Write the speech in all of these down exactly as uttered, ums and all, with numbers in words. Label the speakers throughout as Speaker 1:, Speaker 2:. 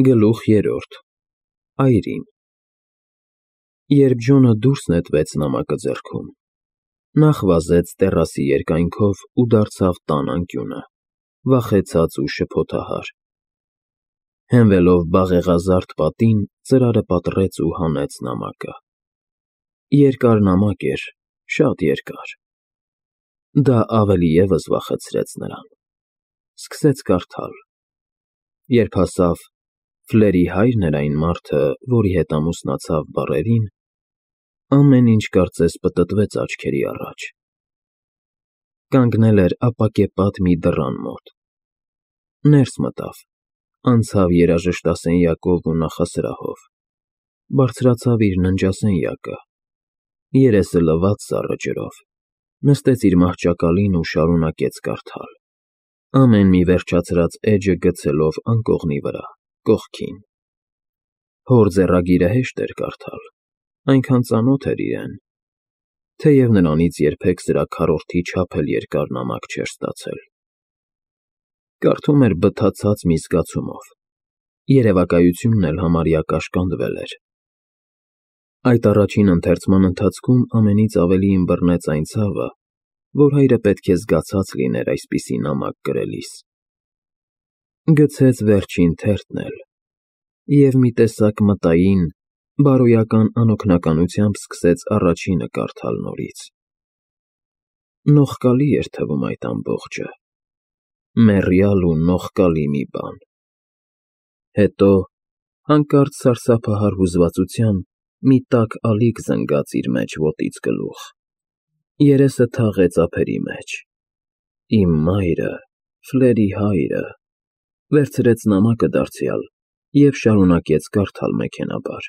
Speaker 1: Գլուխ երրորդ Այրին Երբ Ջոնը դուրս նետվեց նամակը ձեռքում, նախ վազեց տեռասի երկայնքով ու դարձավ տան անկյունը, վախեցած ու շփոթահար։ Հենվելով բաղեղազարդ պատին, ծրարը պատռեց ու հանեց նամակը։ Երկար նամակ էր, շատ երկար։ Դա ավելի ևս վախեցրեց նրան։ Սկսեց կարդալ. Երբ հասավ «Ֆլերի հայրն էր այն մարդը, որի հետ ամուսնացավ» բառերին, ամեն ինչ կարծես պտտվեց աչքերի առաջ։ Կանգնել էր ապակեպատ մի դռան մոտ։ Ներս մտավ, անցավ երաժշտասենյակով ու նախասրահով, բարձրացավ իր ննջասենյակը, երեսը լվաց սառը ջրով, նստեց իր մահճակալին ու շարունակեց կարդալ, ամեն մի վերջացրած էջը գցելով անկողնի վրա, կողքին։ Հոր ձեռագիրը հեշտ էր կարդալ, այնքան ծանոթ էր իրեն, թեև նրանից երբեք սրա քառորդի չափ էլ երկար նամակ չէր ստացել։ Կարդում էր բթացած մի զգացումով, երևակայությունն էլ համարյա կաշկանդվել էր։ Այդ առաջին ընթերցման ընթացքում ամենից ավելի ըմբռնեց այն ցավը, որ հայրը պետք է զգացած լիներ այսպիսի նամակ գրելիս։ Գցեց վերջին թերթն էլ և մի տեսակ մտային, բարոյական անօգնականությամբ սկսեց առաջինը կարդալ նորից։ Նողկալի էր թվում այդ ամբողջը, մեռյալ ու նողկալի մի բան։ Հետո հանկարծ սարսափահար հուզվածության մի տաք ալիք զնգաց իր մեջ ոտից գլուխ, երեսը թաղեց ափերի մեջ։ Իմ մայրը, Ֆլերի հայրը, վերցրեց նամակը դարձյալ և շարունակեց կարդալ մեքենաբար։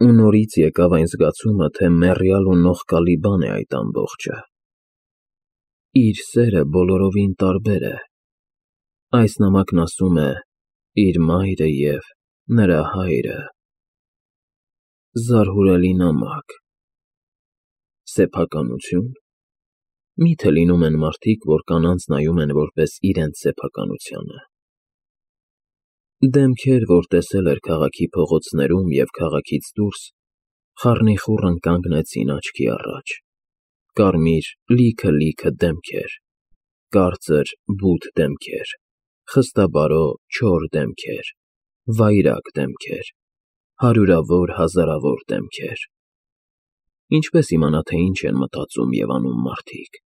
Speaker 1: Ու նորից եկավ այն զգացումը, թե մեռյալ ու նողկալի բան է այդ ամբողջը։ Իր սերը բոլորովին տարբեր է։ Այս նամակն ասում է իր մայրը և նրա հայրը։ Զարհուրելի նամակ։ Սեփականությո՞ւն։ Մի՞թե լինում են մարդիկ, որ կանանց նայում են որպես իրենց սեփականությանը։ Դեմքեր, որ տեսել էր քաղաքի փողոցներում և քաղաքից դուրս, խառնիխուռն կանգնեցին աչքի առաջ, կարմիր լիքը֊լիքը դեմքեր, կարծր բութ դեմքեր, խստաբարո չոր դեմքեր, վայրագ դեմքեր, հարյուրավոր, հազարավոր դեմքեր։ Ինչպե՞ս իմանա, թե ինչ են մտածում և անում մարդիկ,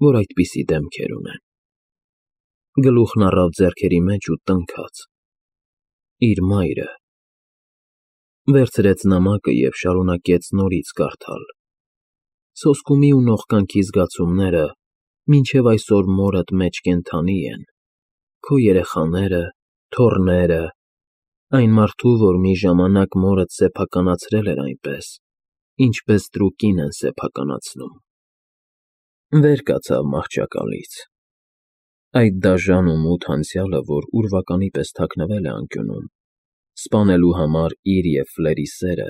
Speaker 1: որ այդպիսի դեմքեր ունեն։ Գլուխն առավ ձեռքերի մեջ ու տնքաց. իր մայրը։ Վերցրեց նամակը և շարունակեց նորից կարդալ։ Սոսկումի ու նողկանքի զգացումները մինչև այսօր մորդ մեջ կենդանի են, քո երեխաները, թոռները, այն մարդու, որ մի ժամանակ մորդ սեփականացրել էր այնպես, ինչպես տրուկին են սեփականացնում։ Վեր կացավ մահճակալից։ Այդ դաժան ու մութ անցյալը, որ ուրվականի պես թաքնվել է անկյունում, սպանելու համար իր և Ֆլերի սերը,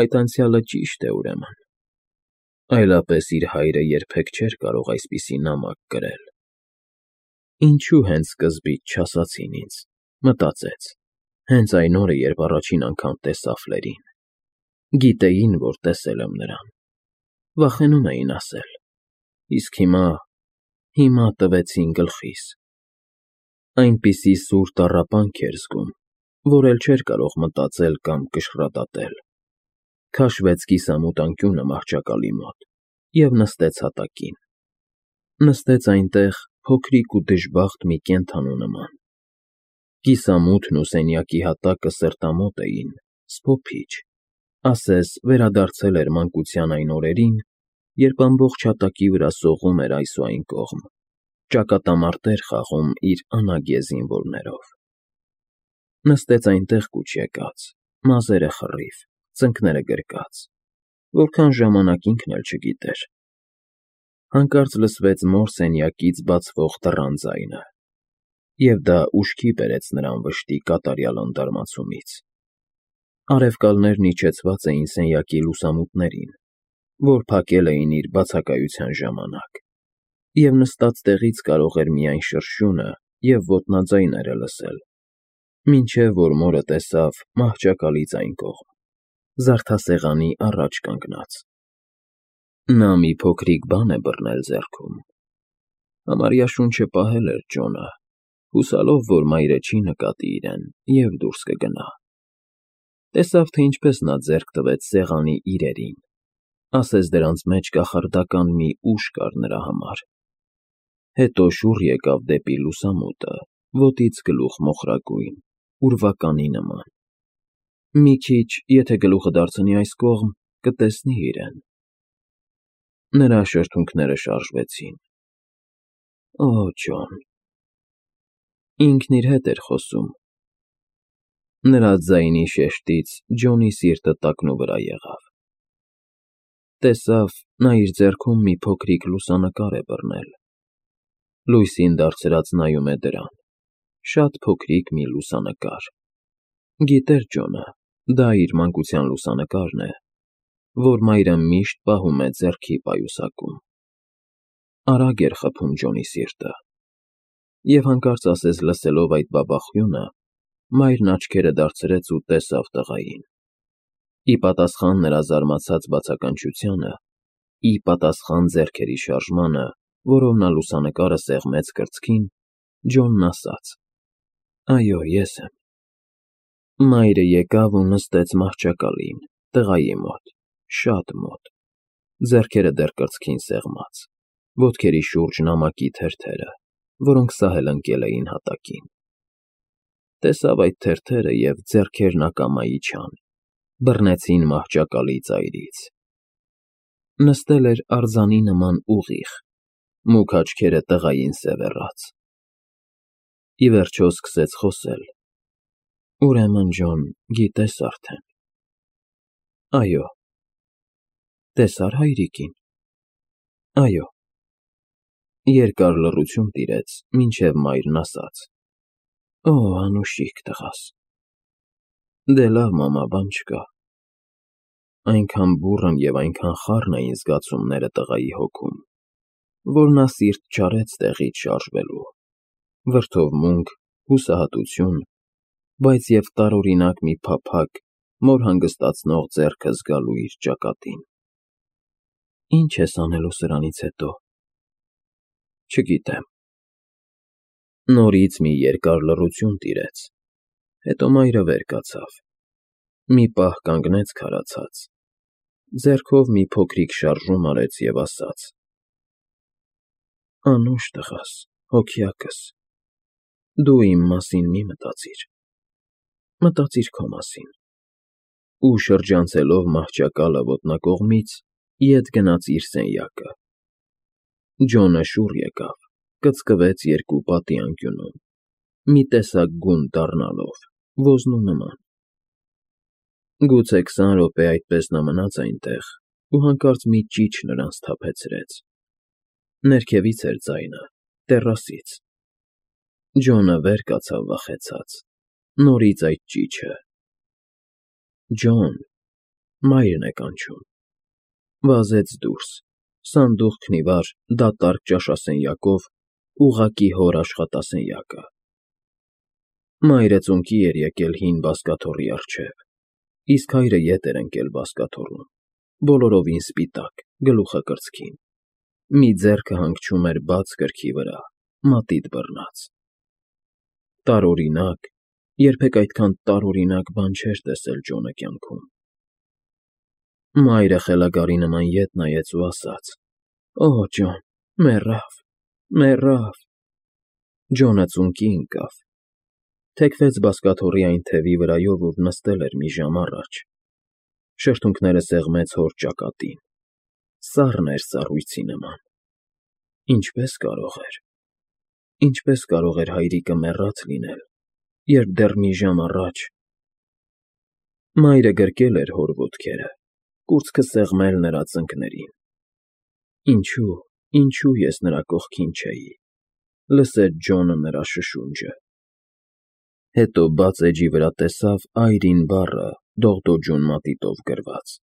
Speaker 1: այդ անցյալը ճիշտ է, ուրեմն։ Այլապես իր հայրը երբեք չէր կարող այսպիսի նամակ գրել։ Ինչո՞ւ հենց սկզբից չասացին ինձ, մտածեց, հենց այն օրը, երբ առաջին անգամ տեսա Ֆլերին։ Գիտեին, որ տեսել եմ նրան։ Վախենում էին ասել։ Իսկ հիմա, հիմա տվեցին գլխիս։ Այնպիսի սուր տառապանք էր զգում, որ էլ չէր կարող մտածել կամ կշռադատել։ Քաշվեց կիսամութ անկյունը մահճակալի մոտ և նստեց հատակին։ Նստեց այնտեղ փոքրիկ ու դժբախտ մի կենդանու նման։ Կիսամութն ու սենյակի հատակը սրտամոտ էին, սփոփիչ, ասես վերադարձել էր մանկության այն օրերին, երբ ամբողջ հատակի վրա սողում էր այս ու այն կողմ, ճակատամարտեր խաղում իր անագե զինվորներով։ Նստեց այնտեղ կուչ եկած, մազերը խռիվ, ծնկները գրկած, որքան ժամանակ ինքն էլ չգիտեր։ Հանկարծ լսվեց մոր սենյակից բացվող դռան ձայնը, և դա ուշքի բերեց նրան վշտի կատարյալ անդարմացումից։ Արևկալներն իջեցված էին սենյակի լուսամուտներին, որ փակել էին իր բացակայության ժամանակ, և նստած տեղից կարող էր միայն շրշյունը և ոտնաձայները լսել։ Մինչև որ մորը տեսավ մահճակալից այն կողմ, զարդասեղանի առաջ կանգնած։ Նա մի փոքրիկ բան է բռնել ձեռքում։ Համարյա շունչը պահել էր Ջոնը, հուսալով, որ մայրը չի նկատի իրեն և դուրս կգնա։ Տեսավ, թե ինչպես նա ձեռք տվեց սեղանի իրերին, ասես դրանց մեջ կախարդական մի ուժ կար նրա համար։ Հետո շուռ եկավ դեպի լուսամուտը, ոտից գլուխ մոխրագույն, ուրվականի նման։ Մի քիչ, եթե գլուխը դարձնի այս կողմ, կտեսնի իրեն։ Նրա շրթունքները շարժվեցին։ Օ, Ջոն… Ինքն իր հետ էր խոսում։ Նրա ձայնի շեշտից Ջոնի սիրտը տակնուվրա եղավ։ Տեսավ, նա իր ձեռքում մի փոքրիկ լուսանկար է բռնել։ Լույսին դարձրած նայում է դրան, շատ փոքրիկ մի լուսանկար։ Գիտեր Ջոնը, դա իր մանկության լուսանկարն է, որ մայրը միշտ պահում է ձեռքի պայուսակում։ Արագ էր խփում Ջոնի սիրտը։ Եվ հանկարծ ասես լսելով այդ բաբախյունը, մայրն աչքերը դարձրեց ու տեսավ տղային։ Ի պատասխան նրա զարմացած բացականչությանը, ի պատասխան ձեռքերի շարժմանը, որով նա լուսանկարը սեղմեց կրծքին, Ջոնն ասաց. Այո, ես եմ։ Մայրը եկավ ու նստեց մահճակալին, տղայի մոտ, շատ մոտ, ձեռքերը դեռ կրծքին սեղմած, ոտքերի շուրջ նամակի թերթերը, որոնք սահել ընկել էին հատակին։ Տեսավ այդ թերթերը և ձեռքերն ակամա իջան, բռնեցին մահճակալի ծայրից։ Նստել էր արձանի նման ուղիղ, մուգ աչքերը տղային սևեռած։ Ի վերջո սկսեց խոսել. Ուրեմն, Ջոն, գիտես արդեն։ Այո։ Տեսա՞ր հայրիկին։ Այո։ Երկար լռություն տիրեց, մինչև մայրն ասաց. Օ, անուշիկ տղաս։ Դե լավ, մամա, բան չկա։ Այնքան բուռն և այնքան խառն էին զգացումները տղայի հոգում, որ նա սիրտ չարեց տեղից շարժվելու, վրդովմունք, հուսահատություն, բայց և տարօրինակ մի փափագ մոր հանգստացնող ձեռքը զգալու իր ճակատին։ Ի՞նչ ես անելու սրանից հետո։ Չգիտեմ։ Նորից մի երկար լռություն տիրեց, հետո մայրը վեր կացավ, մի պահ կանգնեց քարացած, ձեռքով մի փոքրիկ շարժում արեց և ասաց. Անուշ տղաս, հոգյակս, դու իմ մասին մի մտածիր, մտածիր քո մասին։ Ու շրջանցելով մահճակալը ոտնակողմից, ետ գնաց իր սենյակը։ Ջոնը շուռ եկավ, կծկվեց երկու պատի անկյունում, մի տեսակ գունդ դառնալով, ոզնու նման։ Գուցե քսան րոպե այդպես նա մնաց այնտեղ ու հանկարծ մի ճիչ նրան սթափեցրեց։ Ներքևից էր ձայնը, տեռասից։ Ջոնը վեր կացավ վախեցած, նորից այդ ճիչը։ Ջոն… Մայրն է կանչում։ Վազեց դուրս, սանդուղքն ի վար, դատարկ ճաշասենյակով, ուղղակի հոր աշխատասենյակը։ Մայրը ծունկի էր եկել հին բազկաթոռի առջև, իսկ հայրը ետ էր ընկել բազկաթոռում, բոլորովին սպիտակ, գլուխը կրծքին, մի ձեռքը հանգչում էր բաց գրքի վրա, մատիտ բռնած։ Տարօրինակ, երբեք այդքան տարօրինակ բան չէր տեսել Ջոնը կյանքում։ Մայրը խելագարի նման ետ նայեց ու ասաց. Օ, Ջոն, մեռավ, մեռավ։ Ջոնը ծունկի ընկավ, թեքվեց բազկաթոռի այն թևի վրայով, ուր նստել էր մի ժամ առաջ, շրթունքները սեղմեց հոր ճակատին, սառն էր սառույցի նման։ Ինչպե՞ս կարող էր… Ինչպե՞ս կարող էր հայրիկը մեռած լինել, երբ դեռ մի ժամ առաջ… Մայրը գրկել էր հոր ոտքերը, կուրծքը սեղմել նրա ծնկներին։ Ինչո՞ւ, ինչո՞ւ ես նրա կողքին չէի… Լսեց Ջոնը նրա շշունջը։ Հետո բաց էջի վրա տեսավ Այրին բառը դողդոջուն մատիտով գրված,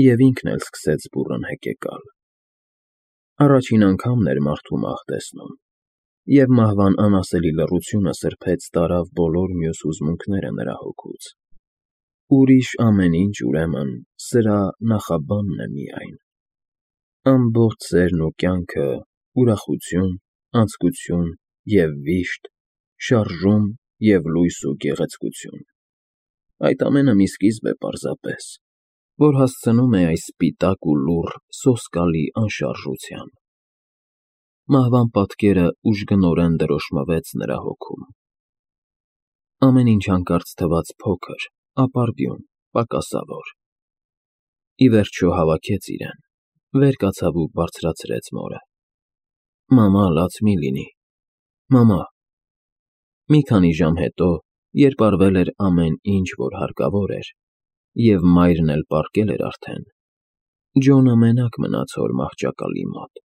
Speaker 1: և ինքն էլ սկսեց բուռն հեկեկալ։ Առաջին անգամն էր մարդու մահ տեսնում։ և մահվան անասելի լռությունը սրբեց տարավ բոլոր մյուս հուզմունքները նրա հոգուց. ուրիշ ամեն ինչ, ուրեմն, սրա նախաբանն է միայն. ամբողջ սերն ու կյանքը, ուրախություն, անձկություն և վիշտ, շարժում և լույս ու գեղեցկություն. այդ ամենը մի սկիզբ է պարզապես, որ հասցնում է այս սպիտակ ու լուռ սոսկալի անշարժության։ Մահվան պատկերը ուժգնորեն դրոշմվեց նրա հոգում։ Ամեն ինչ հանկարծ թվաց փոքր, ապարդյուն, պակասավոր։ Ի վերջո հավաքեց իրեն, վեր կացավ ու բարձրացրեց մորը. Մամա, լաց մի լինի, մամա… Մի քանի ժամ հետո, երբ արվել էր ամեն ինչ, որ հարկավոր էր, և մայրն էլ պառկել էր արդեն, Ջոնը մենակ մնաց հոր մահճակալի մոտ,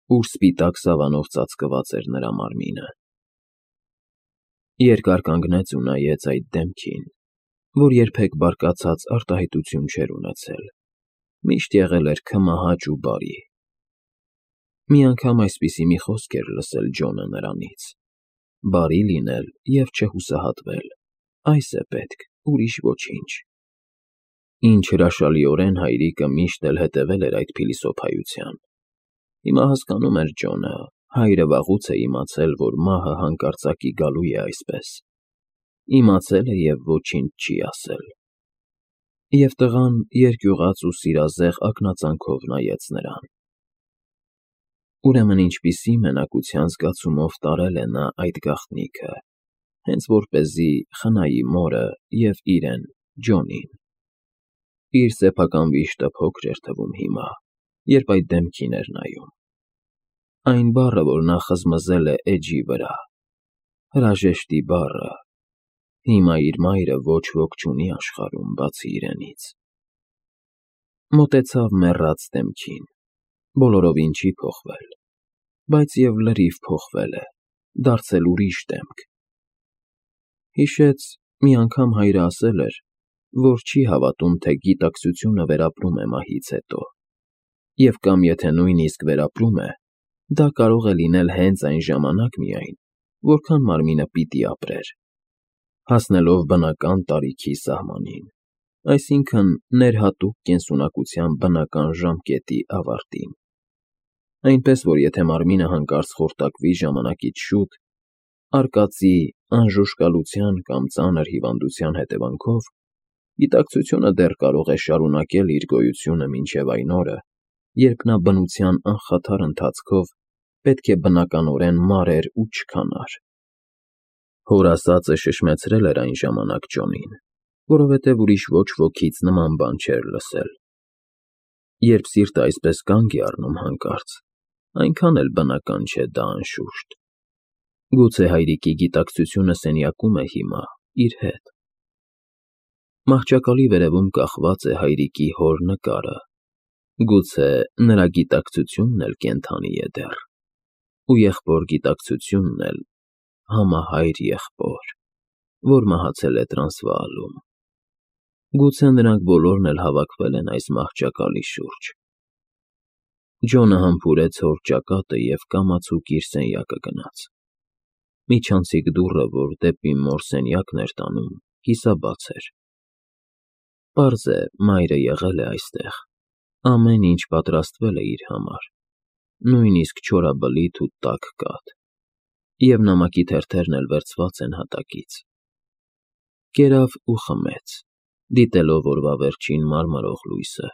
Speaker 1: ուր սպիտակ սավանով ծածկված էր նրա մարմինը։ Երկար կանգնեց ու նայեց այդ դեմքին, որ երբեք բարկացած արտահայտություն չէր ունեցել, միշտ եղել էր քմահաճ ու բարի։ Մի անգամ այսպիսի մի խոսք էր լսել Ջոնը նրանից. բարի լինել և չհուսահատվել, այս է պետք, ուրիշ ոչինչ։ Ինչ հրաշալիորեն հայրիկը միշտ էլ հետևել էր այդ փիլիսոփայության։ Հիմա հասկանում էր Ջոնը, հայրը վաղուց է իմացել, որ մահը հանկարծակի գալու է այսպես։ Իմացել է և ոչինչ չի ասել։ Եվ տղան երկյուղած ու սիրազեղ ակնածանքով նայեց նրան։ Ուրեմն ինչպիսի մենակության զգացումով տարել է նա այդ գաղտնիքը, հենց որպեսզի խնայի մորը և իրեն՝ Ջոնին։ Իր սեփական վիշտը փոքր էր թվում հիմա, երբ այդ դեմքին էր նայում։ Այն բառը, որ նա խզմզել է էջի վրա, հրաժեշտի բառը, հիմա իր մայրը ոչ ոք չունի աշխարհում, բացի իրենից։ Մոտեցավ մեռած դեմքին, բոլորովին չի փոխվել, բայց և լրիվ փոխվել է, դարձել ուրիշ դեմք։ Հիշեց, մի անգամ հայրը ասել էր, որ չի հավատում, թե գիտակցությունը վերապրում է մահից հետո, և կամ եթե նույնիսկ վերապրում է, դա կարող է լինել հենց այն ժամանակ միայն, որքան մարմինը պիտի ապրեր, հասնելով բնական տարիքի սահմանին, այսինքն՝ ներհատուկ կենսունակության բնական ժամկետի ավարտին։ Այնպես որ եթե մարմինը հանկարծ խորտակվի ժամանակից շուտ, արկածի, անժուժկալության կամ ծանր հիվանդության հետևանքով, գիտակցությունը դեռ կարող է շարունակել իր գոյությունը մինչև այն օրը, երբ նա բնության անխաթար ընթացքով պետք է բնականորեն մարեր ու չքանար։ Հոր ասածը շշմեցրել էր այն ժամանակ Ջոնին, որովհետև ուրիշ ոչ ոքից նման բան չէր լսել։ Երբ սիրտը այսպես կանգ է առնում հանկարծ, այնքան էլ բնական չէ դա, անշուշտ։ Գուցե հայրիկի գիտակցությունը սենյակում է հիմա, իր հետ։ Մահճակալի վերևում կախված է հայրիկի հոր նկարը, գուցե նրա գիտակցությունն էլ կենդանի է դեռ, ու եղբոր գիտակցությունն էլ համահայր եղբոր, որ մահացել է Տրանսվաալում։ Գուցե նրանք բոլորն էլ հավաքվել են այս մահճակալի շուրջ։ Ջոնը համբուրեց հոր ճակատը և կամացուկ իր սենյակը գնաց։ Միջանցիկ դուռը, որ դեպի մոր սենյակն էր տանում, կիսաբաց էր։ Պարզ է, մայրը եղել է այստեղ, ամեն ինչ պատրաստվել է իր համար, նույնիսկ չորաբլիթ ու տաք կաթ, և նամակի թերթերն էլ վերցված են հատակից։ Կերավ ու խմեց, դիտելով օրվա վերջին մարմրող լույսը։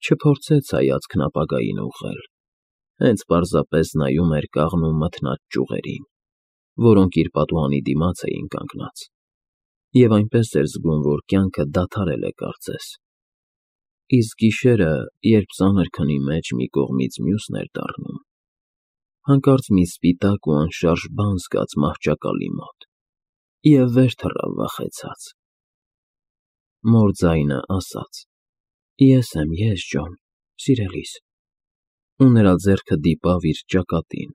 Speaker 1: Չփորձեց հայացքն ապագային ուղղել, հենց պարզապես նայում էր կաղնու մթնած ճյուղերին, որոնք իր պատուհանի դիմաց էին կանգնած, և այնպես էր զգում, որ կյանքը դադարել է կարծես։ Իսկ գիշերը, երբ ծանր քնի մեջ մի կողմից մյուսն էր դառնում, հանկարծ մի սպիտակ ու անշարժ բան զգաց մահճակալի մոտ և վեր թռավ վախեցած։ Մոր ձայնը ասաց. «Ես եմ, ես, Ջոն, սիրելիս», ու նրա ձեռքը դիպավ իր ճակատին,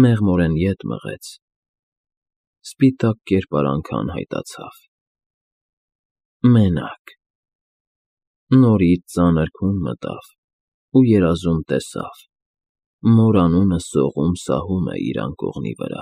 Speaker 1: մեղմորեն ետ մղեց։ Սպիտակ կերպարանքը անհայտացավ։ Մենակ։ Նորից ծանր քուն մտավ ու երազում տեսավ, Մոր անունը սողում սահում է իր անկողնի վրա։